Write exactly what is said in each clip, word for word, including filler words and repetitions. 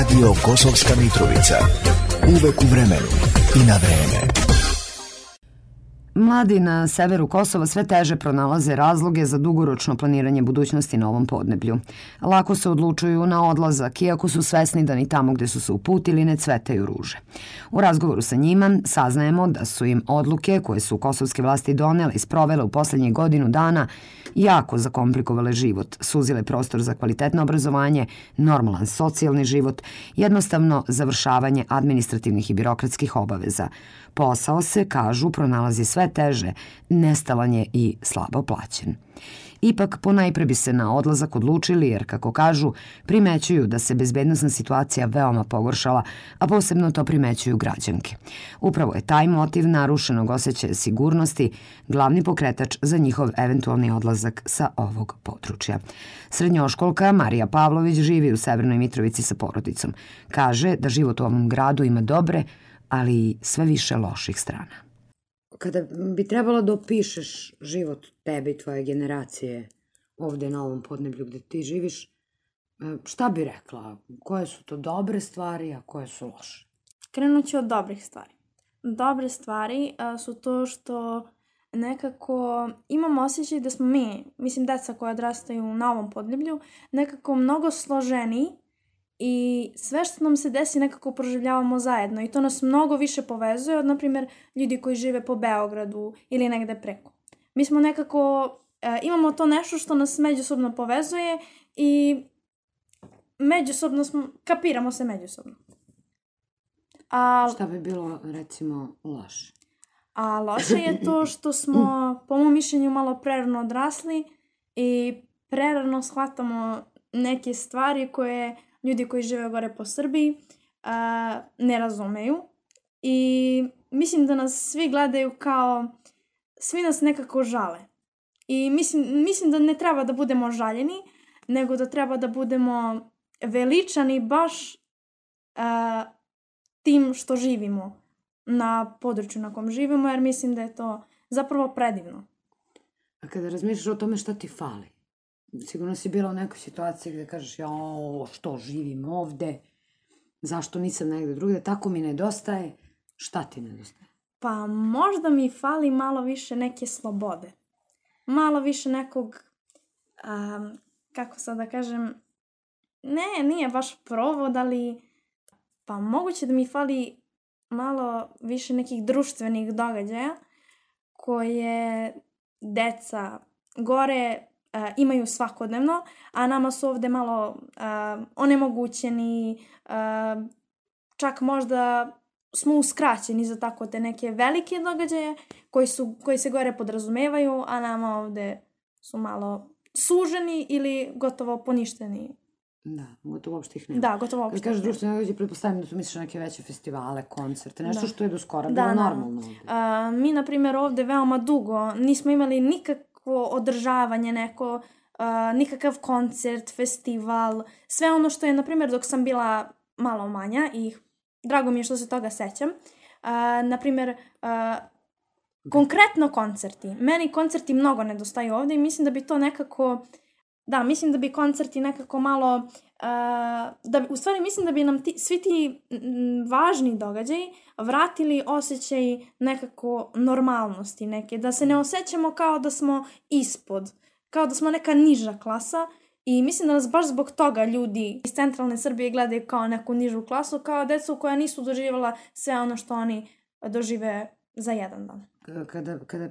Radio Kosovska Mitrovica. Uvek u vremenu i na vreme. Mladi na severu Kosova sve teže pronalaze razloge za dugoročno planiranje budućnosti na ovom podneblju. Lako se odlučuju na odlazak, iako su svesni da ni tamo gde su se uputili ne cvetaju ruže. U razgovoru sa njima saznajemo da su im odluke koje su kosovske vlasti donele i sprovele u poslednjih godinu dana jako zakomplikovale život, suzile prostor za kvalitetno obrazovanje, normalan socijalni život, jednostavno završavanje administrativnih i birokratskih obaveza. Posao se, kažu, pronalazi sve teže, nestalan je i slabo plaćen. Ipak, ponajpre bi se na odlazak odlučili jer, kako kažu, primećuju da se bezbednosna situacija veoma pogoršala, a posebno to primećuju građanke. Upravo je taj motiv narušenog osjećaja sigurnosti glavni pokretač za njihov eventualni odlazak sa ovog područja. Srednjoškolka Marija Pavlović živi u Severnoj Mitrovici sa porodicom. Kaže da život u ovom gradu ima dobre, ali i sve više loših strana. Kada bi trebalo da opišeš život tebe i tvoje generacije ovde na ovom podneblju gde ti živiš, šta bi rekla? Koje su to dobre stvari, a koje su loše? Krenut ću od dobrih stvari. Dobre stvari a, su to što nekako imamo osjećaj da smo mi, mislim deca koja odrastaju na ovom podneblju, nekako mnogo složeniji i sve što nam se desi nekako proživljavamo zajedno i to nas mnogo više povezuje od, na primjer, ljudi koji žive po Beogradu ili negde preko. Mi smo nekako, e, imamo to nešto što nas međusobno povezuje i međusobno smo, kapiramo se međusobno. A, šta bi bilo, recimo, loše? A loše je to što smo, po mom mišljenju, malo prerano odrasli i prerano shvatamo neke stvari koje ljudi koji žive gore po Srbiji a, ne razumeju i mislim da nas svi gledaju kao, svi nas nekako žale. I mislim, mislim da ne treba da budemo žaljeni, nego da treba da budemo veličani baš a, tim što živimo na području na kom živimo, jer mislim da je to zapravo predivno. A kada razmišljaš o tome šta ti fali? Sigurno si bila u nekoj situaciji gde kažeš jao, što živim ovde, zašto nisam negde drugde, tako mi nedostaje. Šta ti nedostaje? Pa možda mi fali malo više neke slobode. Malo više nekog, um, kako sad da kažem, ne, nije baš provod, ali pa moguće da mi fali malo više nekih društvenih događaja koje deca gore Uh, imaju svakodnevno, a nama su ovde malo uh, onemogućeni, uh, čak možda smo uskraćeni za tako te neke velike događaje koji, su, koji se gore podrazumevaju, a nama ovde su malo suženi ili gotovo poništeni. Da, gotovo uopšte ih nema. Da, gotovo uopšte. Kad kažeš društvene događaje, pretpostavljam da tu misliš na neke veće festivale, koncerte, nešto da. Što je do skora bilo da, normalno ovde. Da. Uh, mi, na primjer, ovde veoma dugo nismo imali nikak održavanje, neko, uh, nikakav koncert, festival, sve ono što je, na primjer, dok sam bila malo manja i drago mi je što se toga sećam. Uh, na primjer, uh, konkretno koncerti. Meni koncerti mnogo nedostaju ovde i mislim da bi to nekako, da, mislim da bi koncerti nekako malo, uh, da bi, u stvari mislim da bi nam ti, svi ti m, važni događaji vratili osjećaj nekako normalnosti neke, da se ne osjećamo kao da smo ispod, kao da smo neka niža klasa i mislim da nas baš zbog toga ljudi iz centralne Srbije gledaju kao neku nižu klasu, kao decu koja nisu doživjela sve ono što oni dožive za jedan dan. Kada, kada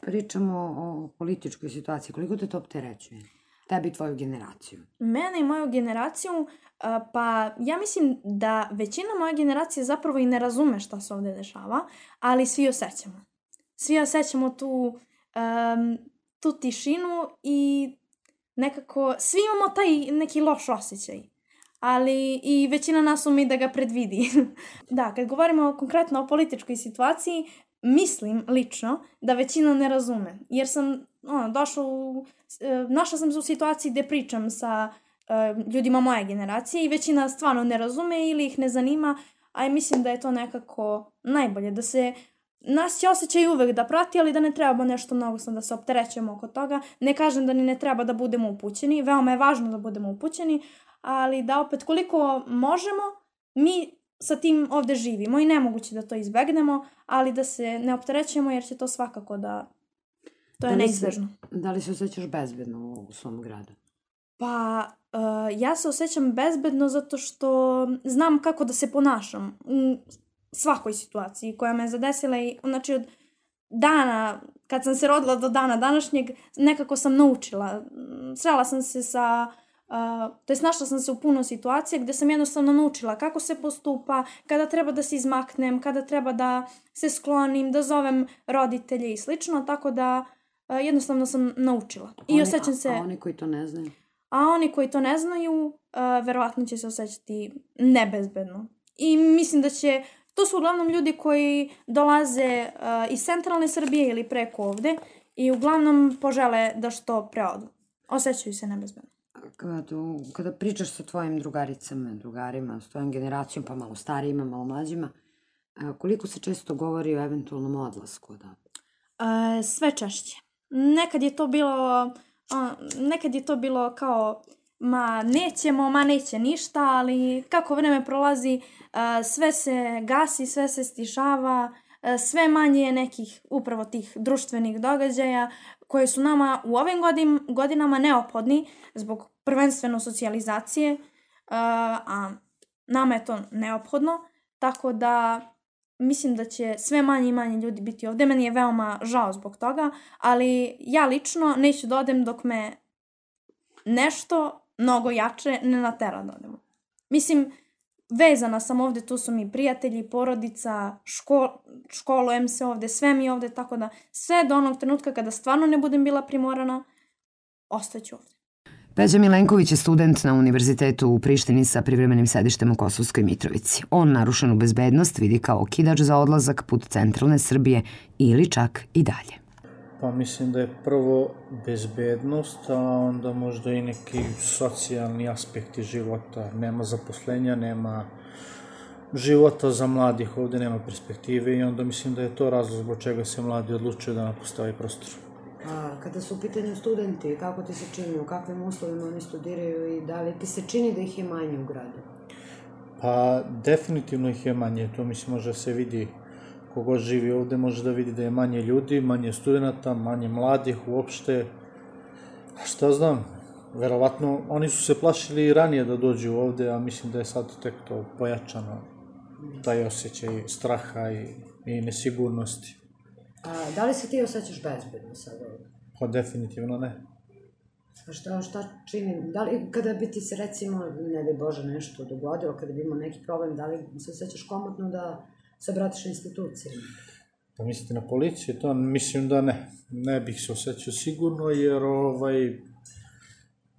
pričamo o političkoj situaciji, koliko te to opterećuje? Tebi i tvoju generaciju? Mene i moju generaciju, pa ja mislim da većina moje generacije zapravo i ne razume šta se ovde dešava, ali svi osjećamo. Svi osjećamo tu, um, tu tišinu i nekako, svi imamo taj neki loš osjećaj, ali i većina nas ume da ga predvidi. Da, kad govorimo konkretno o političkoj situaciji, mislim lično da većina ne razume, jer sam ono, došla u, našla sam se u situaciji gde pričam sa uh, ljudima moje generacije i većina stvarno ne razume ili ih ne zanima, a ja mislim da je to nekako najbolje, da se nas će osjećaj uvek da prati, ali da ne treba nešto mnogo sam da se opterećujemo oko toga. Ne kažem da ni ne treba da budemo upućeni, veoma je važno da budemo upućeni, ali da opet koliko možemo, mi sa tim ovde živimo i nemoguće da to izbegnemo, ali da se ne opterećujemo jer će to svakako da, to je neizbežno. Da li se osjećaš bezbedno u svom gradu? Pa, uh, ja se osjećam bezbedno zato što znam kako da se ponašam u svakoj situaciji koja me zadesila i znači od dana, kad sam se rodila do dana današnjeg, nekako sam naučila. Srela sam se sa, uh, to jest našla sam se u puno situacija gde sam jednostavno naučila kako se postupa, kada treba da se izmaknem, kada treba da se sklonim, da zovem roditelje i slično, tako da uh, jednostavno sam naučila. I oni, osjećam se... A, a oni koji to ne znaju? A oni koji to ne znaju, uh, verovatno će se osjećati nebezbedno. I mislim da će, to su uglavnom ljudi koji dolaze uh, iz centralne Srbije ili preko ovde i uglavnom požele da što preodu. Osjećaju se nebezbedno. Kada, kada pričaš sa tvojim drugaricama, drugarima, s tvojom generacijom, pa malo starijima, malo mlađima, koliko se često govori o eventualnom odlasku? Da? Uh, sve češće. Nekad je to bilo... A, nekad je to bilo kao ma nećemo, ma neće ništa, ali kako vreme prolazi a, sve se gasi, sve se stišava, a, sve manje je nekih upravo tih društvenih događaja koje su nama u ovim godin, godinama neophodni zbog prvenstveno socijalizacije, a, a nama je to neophodno, tako da mislim da će sve manje i manje ljudi biti ovde. Meni je veoma žao zbog toga, ali ja lično neću da odem dok me nešto mnogo jače ne natera da odemo. Mislim, vezana sam ovde, tu su mi prijatelji, porodica, škol, školujem se ovde, sve mi ovde, tako da sve do onog trenutka kada stvarno ne budem bila primorana, ostaću ovde. Peđa Milenković je student na Univerzitetu u Prištini sa privremenim sedištem u Kosovskoj Mitrovici. On narušenu bezbednost vidi kao okidač za odlazak put centralne Srbije ili čak i dalje. Pa mislim da je prvo bezbednost, a onda možda i neki socijalni aspekti života. Nema zaposlenja, nema života za mladih, ovde nema perspektive i onda mislim da je to razlog zbog čega se mladi odlučuju da napuste ovaj prostor. A kada su u pitanju studenti, kako ti se čini, u kakvim uslovima oni studiraju i da li ti se čini da ih je manje u gradu? Pa definitivno ih je manje, to mislim može se vidi, kogod živi ovde može da vidi da je manje ljudi, manje studenta, manje mladih uopšte. A šta znam, verovatno oni su se plašili i ranije da dođu ovde, a mislim da je sad tek to pojačano, taj osjećaj straha i, i nesigurnosti. A da li se ti osjećaš bezbedno sad ovdje? Pa definitivno ne. A šta, šta čini? Da li kada bi ti se recimo, ne daj Bože, nešto dogodilo, kada bi imao neki problem, da li se osjećaš komotno da se obratiš institucijama? Pa mislite na policiju? To mislim da ne. Ne bih se osjećao sigurno, jer ovaj,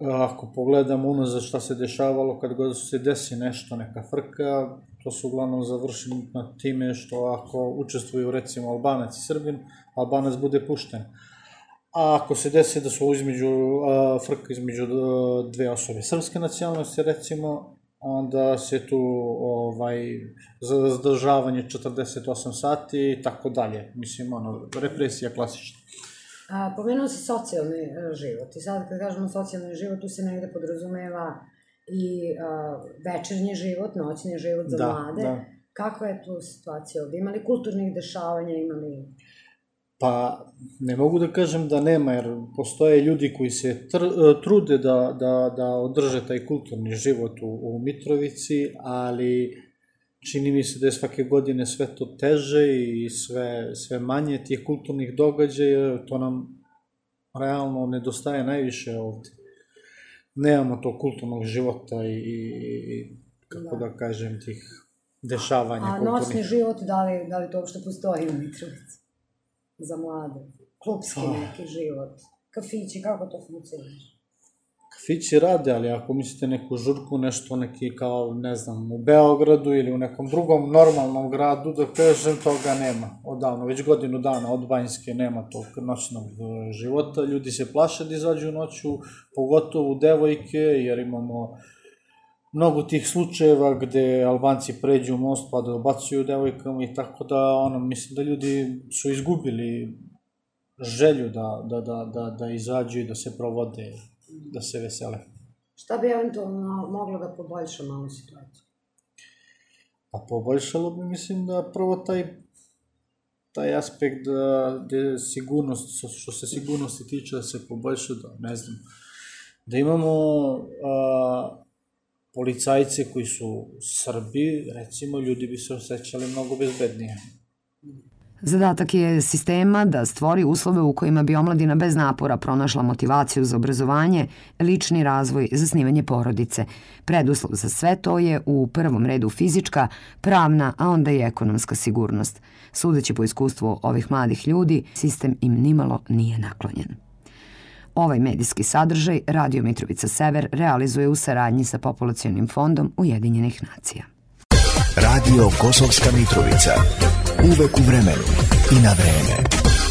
ako pogledamo unazad šta se dešavalo, kad god se desi nešto, neka frka, to su uglavnom završeni na time što ako učestvuju recimo Albanac i Srbin, Albanac bude pušten. A ako se desi da su između, a, frka između dve osobe srpske nacionalnosti recimo, onda se tu ovaj, zadržavanje četrdeset osam sati i tako dalje. Mislim, ono, represija klasična. A, pomenuo si socijalni život i sad kad kažemo socijalni život, tu se negde podrazumeva i a, večernji život, noćni život za da, mlade. Da. Kakva je tu situacija ovde? Ima li kulturnih dešavanja, ima li... Pa, ne mogu da kažem da nema, jer postoje ljudi koji se tr, trude da, da, da održe taj kulturni život u, u Mitrovici, ali čini mi se da je svake godine sve to teže i sve, sve manje tih kulturnih događaja, to nam realno nedostaje najviše ovde. Nemamo to kulturnog života i, i kako da. da kažem, tih dešavanja A kulturnih. noćni život, da li, da li to uopšte postoji u Mitrovici? Za mlade, klubski oh. neki život, kafići, kako to funkcioniš? Kafići rade, ali ako mislite neku žurku, nešto neki kao, ne znam, u Beogradu ili u nekom drugom normalnom gradu, da kažem, toga nema. Odavno, već godinu dana od Banjske nema tog noćnog života. Ljudi se plaše da izađu noću, pogotovo devojke, jer imamo mnogo tih slučajeva gde Albanci pređu most pa da obacuju devojkama i tako da, ono, mislim da ljudi su izgubili želju da, da, da, da, da izađu i da se provode, da se vesele. Šta bi eventualno moglo da poboljša malo situaciju? Pa poboljšalo bi, mislim, da prvo taj taj aspekt da, da sigurnost, što se sigurnosti tiče, da se poboljša, da ne znam, da imamo a, policajce koji su Srbi, recimo, ljudi bi se osjećali mnogo bezbednije. Zadatak je sistema da stvori uslove u kojima bi omladina bez napora pronašla motivaciju za obrazovanje, lični razvoj, zasnivanje porodice. Preduslov za sve to je u prvom redu fizička, pravna, a onda i ekonomska sigurnost. Sudeći po iskustvu ovih mladih ljudi, sistem im nimalo nije naklonjen. Ovaj medijski sadržaj Radio Mitrovica Sever realizuje u saradnji sa Populacionim fondom Ujedinjenih nacija. Radio Kosovska Mitrovica. Uvek u vremenu i na vreme.